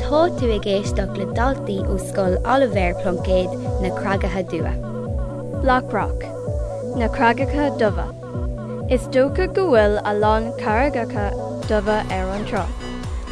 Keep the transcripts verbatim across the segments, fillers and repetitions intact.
Tá tú ag éisteacht le daltaí ó Scoil Oilibhéar Pluincéid na Creagacha Dubha. Blackrock, na Creagacha Dubha. Is dócha go bhfuil a lán carraigeacha dubha ar an trá.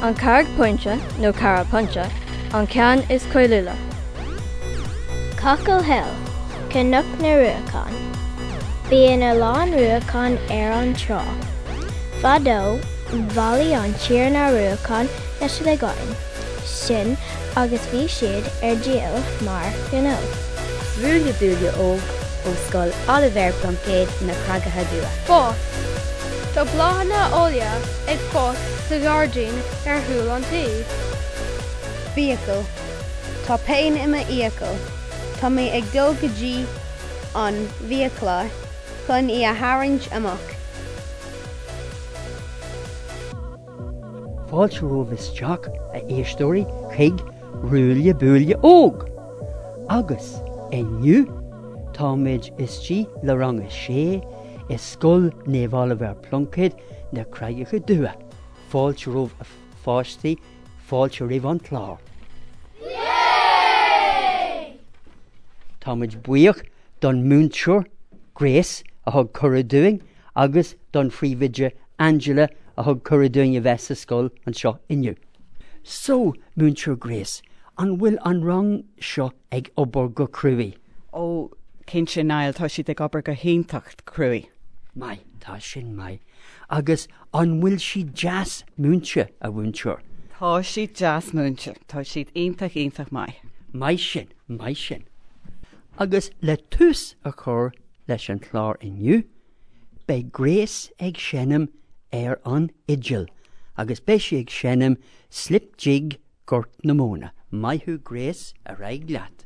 An Carraig Pointe nó Carra Pointe, an ceann is cáiliúla. Cockle Hill, Cnoc na Ruacán. Bíonn a lán ruacán ar an trá. Fadó, bhailigh an tiarna ruacán na sligeáin sin agus bhí siad ar díol mar ghnó. Ruaille Buaille Óg ó Scoil Oilibhéar Pluincéid na Creagacha Dubha. Fás. Tá bláthanna áille ag fás sa ghairdín ar chúl an tí. Fiacail. Tá pain i m'fhiacail. Tá mé ag dul go dtí an bhfiaclóir chun í a tharraingt amach. Fáilte romhaibh isteach a éisteoirí chuig Ruaille Buaille Óg. Agus inniu táimid istigh le rang a sé i Scoil Naomh Oilibhéar Pluincéid na Creagacha Dubha. Fáilte romhaibh a pháistí, fáilte roimh an chlár. Táimid buíoch don múinteoir Grace a thug cuireadh dúinn agus don phríomhoide Angela a thug cuireadh dúinn a bheith sa scoil anseo inniu. So, Múinteoir Grace, an bhfuil an rang seo ag obair go cruaidh? Ó cinnte Niall tá siad ag obair go hiontach cruaidh. Maith, tá sin maith. Agus an bhfuil siad deas múinte a mhúinteoir? Tá siad deas múinte, tá siad iontach iontach maith. Maith sin, maith sin. Agus le tús a chur leis an chlár inniu, beidh Grace ag seinm ar an fhidil, agus beidh sí ag seinm Slip Jig Gort na Móna. Maith thú Grace ar aghaidh leat.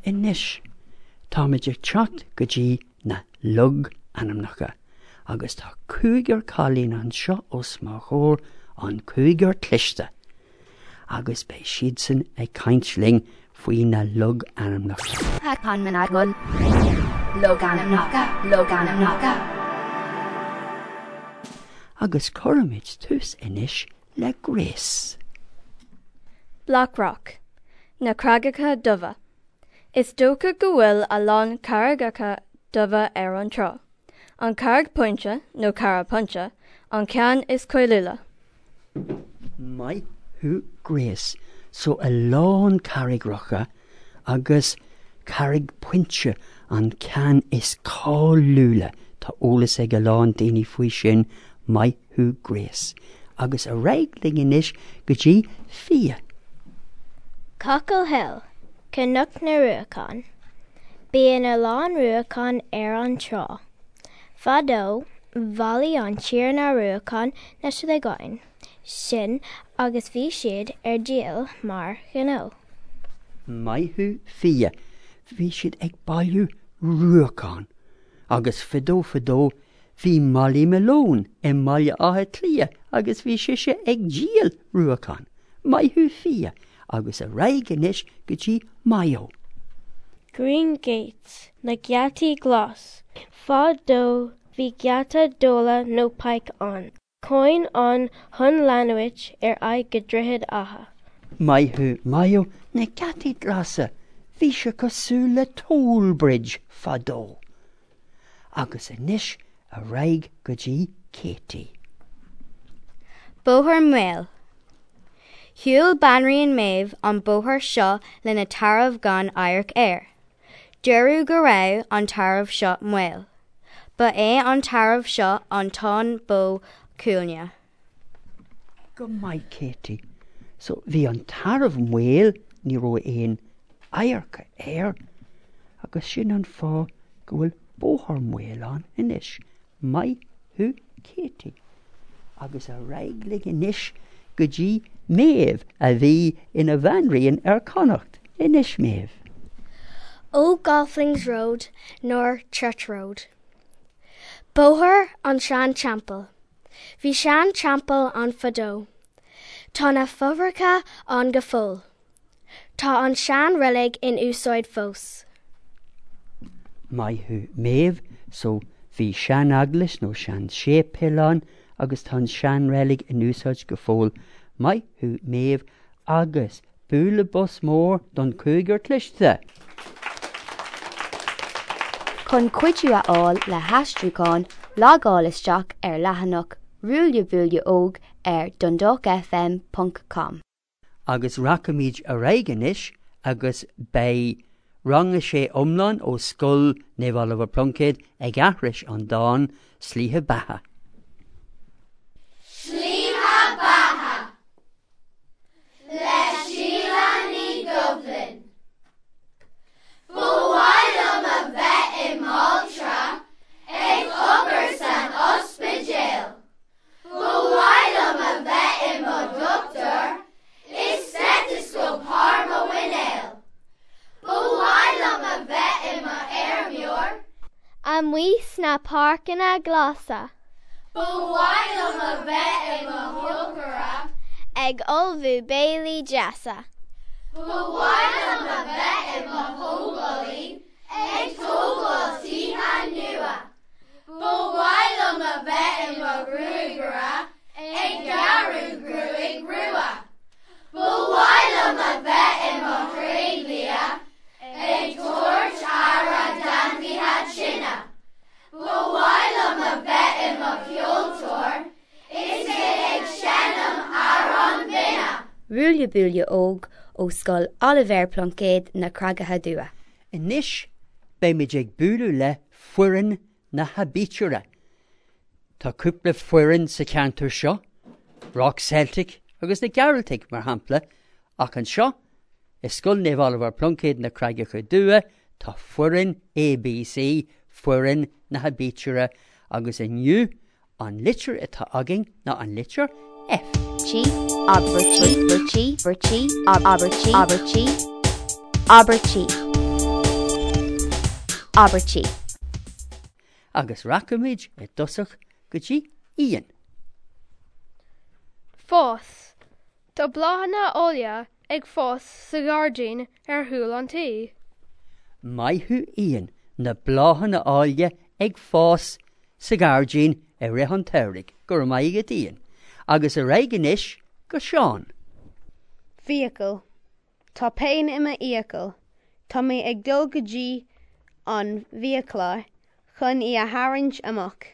Anois, táimid ag teacht go dtí na logainmneacha, agus tá cúigear cailín anseo os mo chomhair an cúigear cliste, agus beidh siadsan ag caint linn faoi na logainmneacha. Logainmneacha, logainmneacha. Agus cuirfimid tús anois le Grace. Blackrock, na Creagacha Dubha. Is dócha go bhfuil a lán carraigeacha dubha ar an trá. An Carraig Pointe nó Carra Pointe, an ceann is cáiliúla. Maith thú Grace, so a lán carraigreacha agus Carraig Pointe an ceann is cáiliúla. Tá eolas ag a lán daoine faoi sin, maith thú Grace. Agus ar aghaidh linn anois go dtí Fia. Cockle Hill, Cnoc na Ruacán. Bíonn a lán ruacán ar an trá. Fadó, bhailigh an tiarna ruacán na sligeáin sin agus bhí siad ar díol mar ghnó. Maith thú Fia, bhí siad ag bailiú ruacán, agus fadó fadó bhí Molly Malone i mBaile Átha Cliath agus bhí sise ag díol ruacán. Maith thú Fia, agus ar aghaidh anois go dtí Mayo. Green Gates, na geataí glas. Fadó bhí geata dola nó pike ann. Coin an chun leanúint ar aghaidh go Droichead Átha. Maith thú Mayo na geataí glasa, bhí sé cosúil le toll bridge fadó. Agus anois ar aghaidh go dtí Katie. Bóthar Maol. Shiúil Banríon Méabh an bóthar seo lena tarbh gan amharc air. Dúradh go raibh an tarbh seo maol. Ba é an tarbh seo an Táin Bó Cúailnge. Go maith Katie. So bhí an tarbh maol ní raibh aon adharca air agus sin an fáth go bhfuil Bóthar Maol ann anois. Maith thú Katie. Agus ar aghaidh linn anois go dtí Méabh a bhí ina bhanríon ar Connacht. Anois Méabh. Old Golflings Road nor Church Road. Bóthar an Sean-Teampall. Bhí sean-teampall ann fadó. Tá na fothracha ann go fóill. Tá an sean-reilig in úsáid fós. Maith thú Méabh, so bhí sean-eaglais nó sean-séipéal ann agus tá an seanreilig in úsáid go fóill. Maith thú Méabh agus bualadh bos mór don cúigear cliste. Chun cuidiú a fháil le haistriúchán, logáil isteach ar leathanach Ruaille Buaille Óg ar Dundalk FM ponc com. Agus rachaimid ar aghaidh anois agus beidh rang a sé iomlán ó Scoil Naomh Oliver Pluincéad ag aithris an dán Slíche Beatha. Slíche Beatha le Síle Ní Dhoibhlin. Ba mhaith liom a bheith i m'altra ag obair san ospidéal. Ba mhaith liom a bheith i mo dhochtúir is stethoscope thar mo mhuineál. Ba mhaith liom a bheith i mo fheirmeoir amuigh sna páirceanna glasa. Ba mhaith liom a bheith i mo chócaire ag ullmhú béilí deasa. Ba mhaith liom a bheith i mo thógálaí ag tógáil tithe nua. Ba mhaith liom a bheith i mo ghruagaire ag gearradh gruaig rua. Ba mhaith liom a bheith i mo thréidlia ag tabhairt aire d'ainmhithe tinne. Ba mhaith liom a bheith i mo cheoltóir is mé ag seinm amhráin bhinne. Ruaille Buaille Óg ó Scoil Oilibhéar Pluincéad na Creagacha Dubha. Anois beimid ag bualadh le foireann na haibítre. Tá cúpla foireann sa cheantar seo, Rock Celtic agus na Gearaltaigh mar shampla, ach anseo i Scoil Naomh Oliver Pluincéad na Creagacha Dubha tá foireann ABC, foireann na haibítre agus inniu an litir atá againn ná an litir F. G, abair G, G, G, abair G, abair G, abair G, abair G. Agus rachaimid i dtosach go dtí Ian. Fás. Tá bláthanna áille ag fás sa ghairdín ar chúl an tí. Maith thú Ian, na bláthanna áille ag fás sa ghairdín i rith an tsamhraidh, go raibh maith agat Ian. Agus ar aghaidh anois go Seán. Fiacail. Tá pian i m'fhiacail. Tá mé ag dul go dtí an bhfiaclóir chun í a tharraingt amach.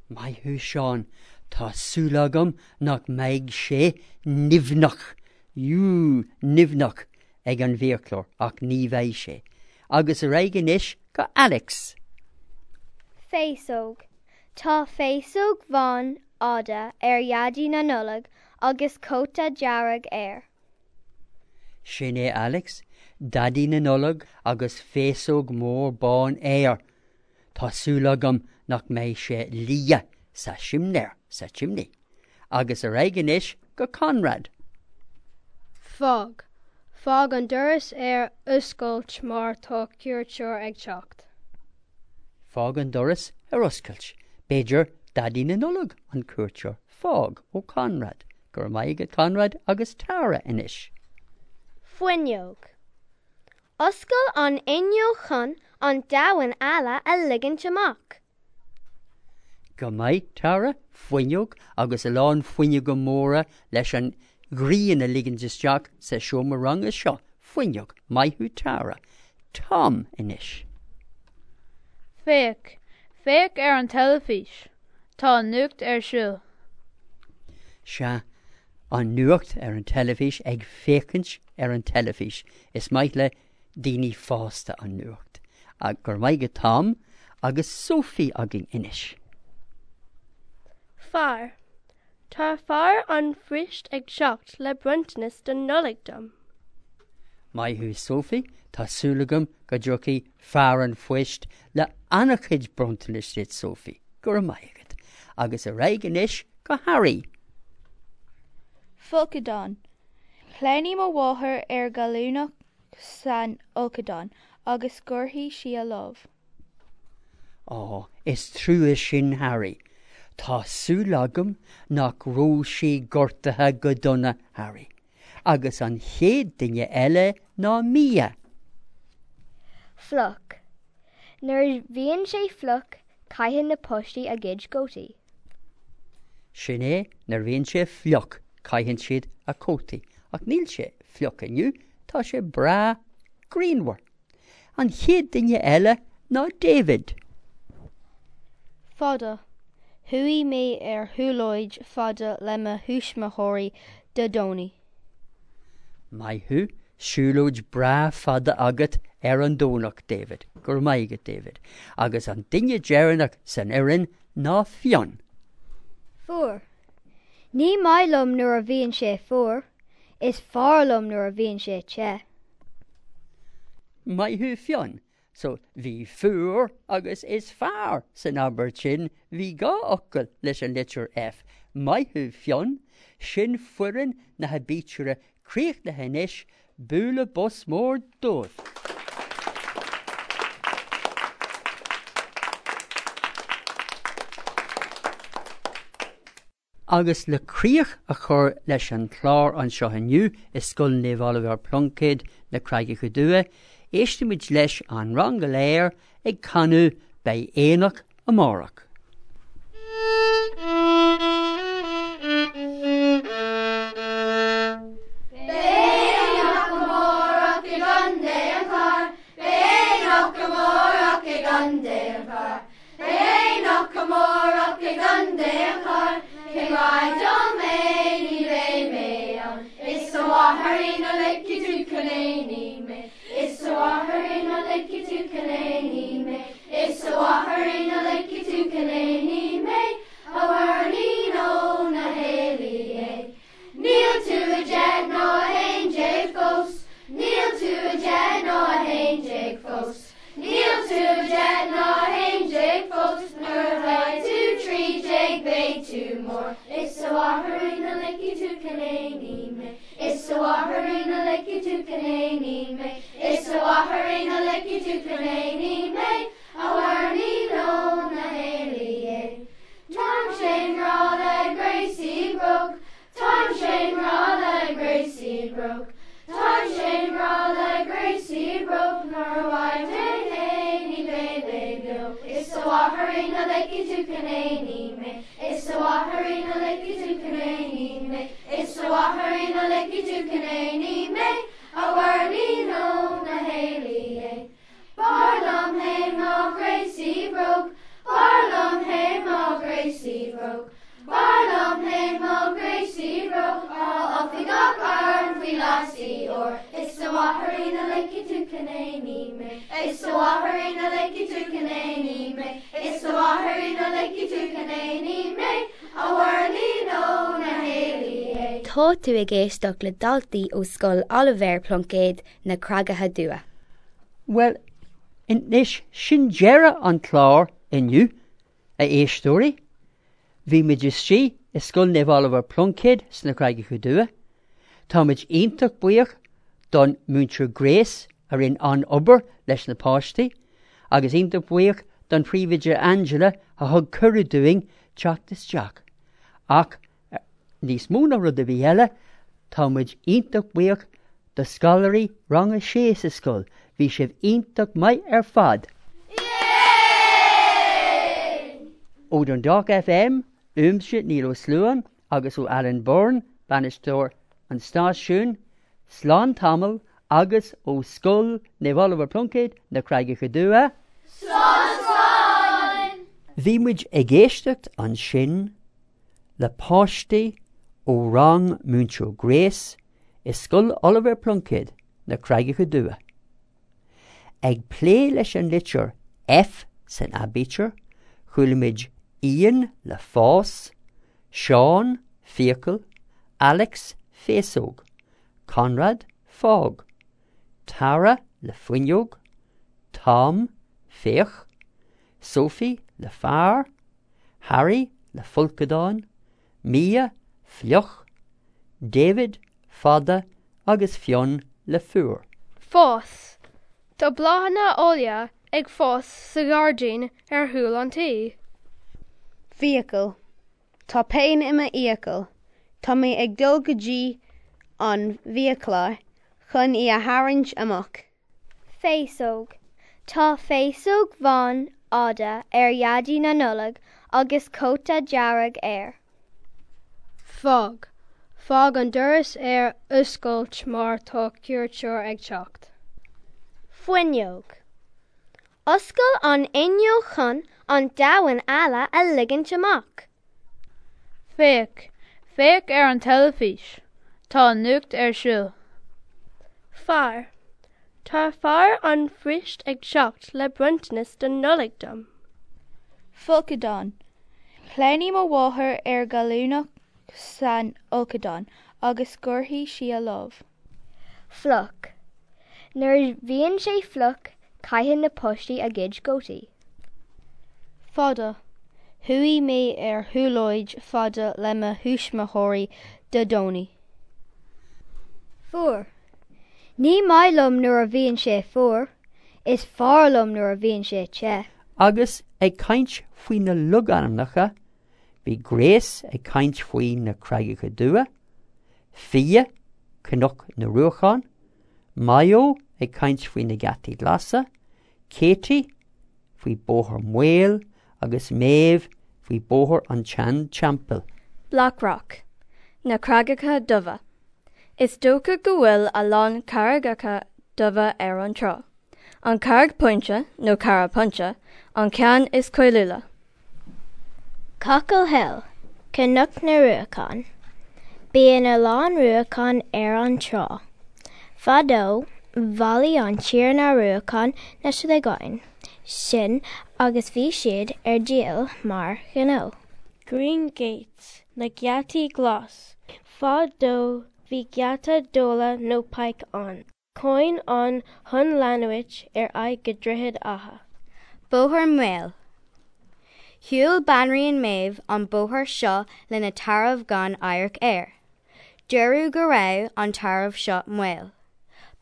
Maith thú Seán, tá súil agam nach mbeidh sé nimhneach, ú nimhneach ag an bhfiaclóir ach ní bheidh sé. Agus ar aghaidh anois go Alex. Féasóg. Tá féasóg bhán fhada ar Dhaidí na Nollag agus cóta dearg air. Sin é Alex, Daidí na Nollag agus féasóg mór bán air. Tá súil agam nach mbeidh sé liath sa simléar sa chimney. Agus ar aghaidh anois go Conrad. Fág. Fág an doras ar oscailt mar tá cuairteoir ag teacht. Fág an doras ar oscailt. B'fhéidir Daidí na Nollag an cuairteoir. Fág ó Conrad. Go raibh maith agat Conrad agus Tara anois. Fuinneog. Oscail an fhuinneog chun an domhan eile a ligint amach. Go maith Tara, fuinneog agus a lán fuinneoga móra leis an ghrian a ligint isteach sa seomra ranga seo. Fuinneog, maith thú Tara. Tom anois. Féach, féach ar an teilifís. Tá an nuacht ar siúl. Sea, an nuacht ar an teilifís ag féachaint ar an teilifís. Is maith le daoine fásta an nuacht. Go raibh maith agat Tom agus Sophie againn anois. Fear. Tá fear an phoist ag teacht le bronntanas don Nollaig dom. Maith thú Sophie, tá súil agam go dtiocfaidh fear an phoist le an-chuid bronntanais duit Sophie, go raibh maith agat, agus ar aghaidh anois go Harry. Folcadán. Shleamhnaigh mo mháthair ar ghallúnach san fholcadán agus ghortaigh sí a lámh. Á, is trua sin Harry. Tá súil agam nach raibh sí gortaithe go dona Harry. Agus an chéad duine eile ná Mia. Fliuch. Nuair a bhíonn sé fliuch, caitheann na páistí a gcuid cótaí. Sin é nuair a bhíonn sé fliuch, caitheann siad a cótaí, ach níl sé fliuch inniu, tá sé breá grianmhar. An chéad duine eile ná David. Fada. Chuaigh mé ar shiúlóid fada le mo thuismitheoirí Dé Domhnaigh. Maith thú, siúlóid breá fada agat ar an Domhnach, David, go raibh maith agat David, agus an duine deireanach san fhoireann ná Fionn. Fuar. Ní maith liom nuair a bhíonn sé fuar, is fearr liom nuair a bhíonn sé te. Maith thú Fionn, so bhí fuar agus is fearr san abairt sin, bhí dhá fhocal leis an litir F. Maith thú Fionn, sin foireann na haibítre críochnaithe anois, bualadh bos mór dóibh. Agus le críoch a chur leis an chlár anseo inniu i Scoil Naomh Oilibhéar Pluincéid na Creagacha Dubha, éistfimid leis an rang go léir ag canadh Beidh Aonach Amárach. Tá tú ag éisteacht le daltaí ó Scoil Oilibhéar Pluincéid na Creagacha Dubha. Well, anois sin deireadh an chlár inniu, a éisteoirí. Bhí muid istigh i Scoil Naomh Oilibhéar Pluincéid sna Creagacha Dubha. Táimid iontach buíoch don Múinteoir Grace a rinne an obair leis na páistí, agus iontach buíoch don phríomhoide Angela a thug cuireadh dúinn teacht isteach. Ach níos mó ná rud a bhí eile, táimid iontach buíoch do scoláirí rang a sé sa scoil, bhí sibh iontach maith ar fad. Ó Dundalk F M, uaimse Niall Ó Sluain agus ó Alan Byrne, bainisteoir an stáisiún, Slán Tamall agus ó Scoil Naomh Oilibhéar Pluincéid na Creagacha Dubha. Slán slán! Bhí muid ag éisteacht ansin le páistí ó rang Múinteoir Grace i Scoil Oilibhéar Pluincéid na Creagacha Dubha. Ag plé leis an litir F san aibítir, chuala muid Ian le fás, Seán fiacail, Alex féasóg, Conrad fág, Tara le fuinneog, Tom féach, Sophie le fear, Harry le folcadán, Mia fliuch, David fada agus Fionn le fuar. Fás. Tá bláthanna áille ag fás sa ghairdín ar chúl an tí. Fiacail. Tá pian i m'fhiacail. Tá mé ag dul go dtí an bhfiaclóir chun í a tharraingt amach. Féasóg. Tá féasóg bhán fhada ar Dhaidí na Nollag agus cóta dearg air. Fág. Fág an doras ar oscailt mar tá cuairteoir ag teacht. Fuinneog. Oscail an fhuinneog chun an domhan eile a ligint amach. Féach. Féach ar an teilifís. Tá an nuacht ar siúl. Fear. Tá fear an phoist ag teacht le bronntanas don Nollaig dom. Folcadán. Shleamhnaigh mo mháthair ar gallúnach san fholcadán agus ghortaigh sí a lámh. Fliuch. Nuair a bhíonn sé fliuch, caitheann na páistí a gcuid cótaí. Fada. Chuaigh mé ar shiúlóid fada le mo thuismitheoirí Dé Domhnaigh. Fuar. Ní maith liom nuair a bhíonn sé fuar, is fearr liom nuair a bhíonn sé te. Agus ag caint faoi na logainmneacha, bhí Grace ag caint faoi na Creagacha Dubha, Fia, Cnoc na Ruachán, Mayo ag caint faoi na Geataí Glasa, Katie faoi Bóthar Maol agus Maeve faoi Bóthar an tSean-Teampaill. Blackrock. Na Creagacha Dubha. Is dócha go bhfuil a lán carraigeacha dubha ar an trá. An Carraig Pointe nó Carra Pointe, an ceann is cáiliúla. Cockle Hill, Cnoc na Ruacán. Bíonn a lán ruacán ar an trá. Fadó, bhailigh an Tiarna Ruacán na sligeáin sin agus bhí siad ar díol mar ghnó. Green Gates, na geataí glas. Fadó bhí geata dóla nó pike ann. Coin ann chun leanúint ar aghaidh go Droichead Átha. Bóthar Maol. Shiúil Banríon Méabh an bóthar seo lena tarbh gan amharc air. Dúradh go raibh an tarbh seo maol.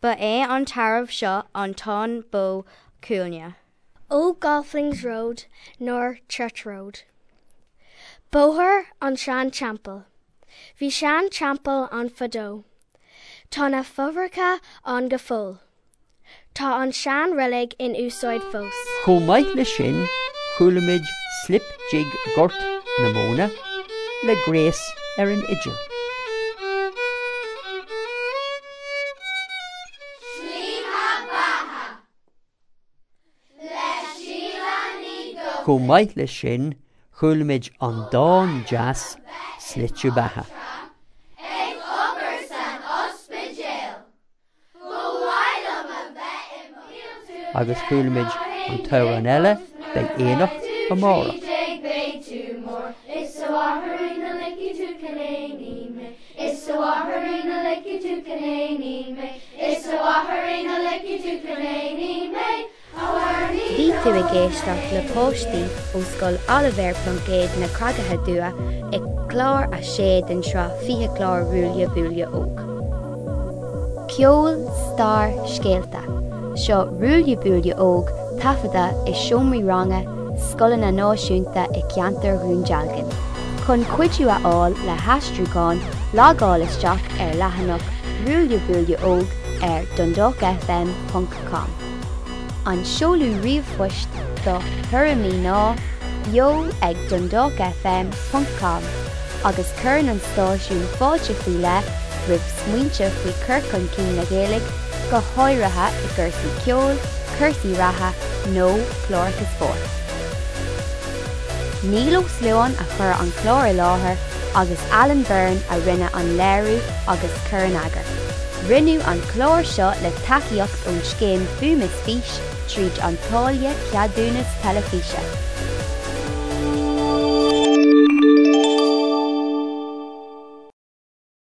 Ba é an tarbh seo an t-aon bó cuailgne. Old Golflings Road nor Church Road. Bóthar an Sean-Teampaill. Bhí sean-teampall ann fadó. Tá na fothracha ann go fóill. Tá an sean-reilig in úsáid fós. Chomh maith leis sin, chuala muid Slip Jig Gort na Móna le Grace ar an fhidil. Chomh maith leis sin, chuala muid an dán deas Slite Beatha. Ag obair san ospidéal. Ba mhaith liom a bheith i mo Agus chuala muid an t-amhrán eile beidh aonach amárach. Beidh tú mór is sa mháithrín a ligfidh tú chun éiní mé Is sa mháithrín a ligfidh tú chun éiní mé Is sa mháithrín a ligfidh tú chun éiní mé Bhí tú ag éisteacht le páistí ó Scoil Oilibhéar Pluincéid na Creagacha Dubha ag clár a sé den sraith fiche clár Ruaille Buaille Óg. Ceol, stair, scéalta. Seo Ruaille Buaille Óg taifeadta i seomraí ranga, scoileanna náisiúnta i gceantar Dhún Dealgan. Chun cuidiú a fháil le haistriúchán, logáil isteach ar leathanach Ruaille Buaille Óg ar dundalk fm ponc com. An seoladh ríomhphoist do thuairimí ná beo ag dundalk fm ponc com agus cuireann an stáisiún fáilte faoi leith roimh smaointe faoi chur chun cinn na Gaeilge, go háirithe i gcúrsaí ceoil, cúrsaí reatha nó cláracha spóirt. Niall Ó Sluain a chuir an clár i láthair agus Alan Byrne a rinne an léiriú agus cur in eagar. Rinneadh an clár seo le tacaíocht ón scéim Fuaim is Fís tríd an táille ceadúnas teilifíse.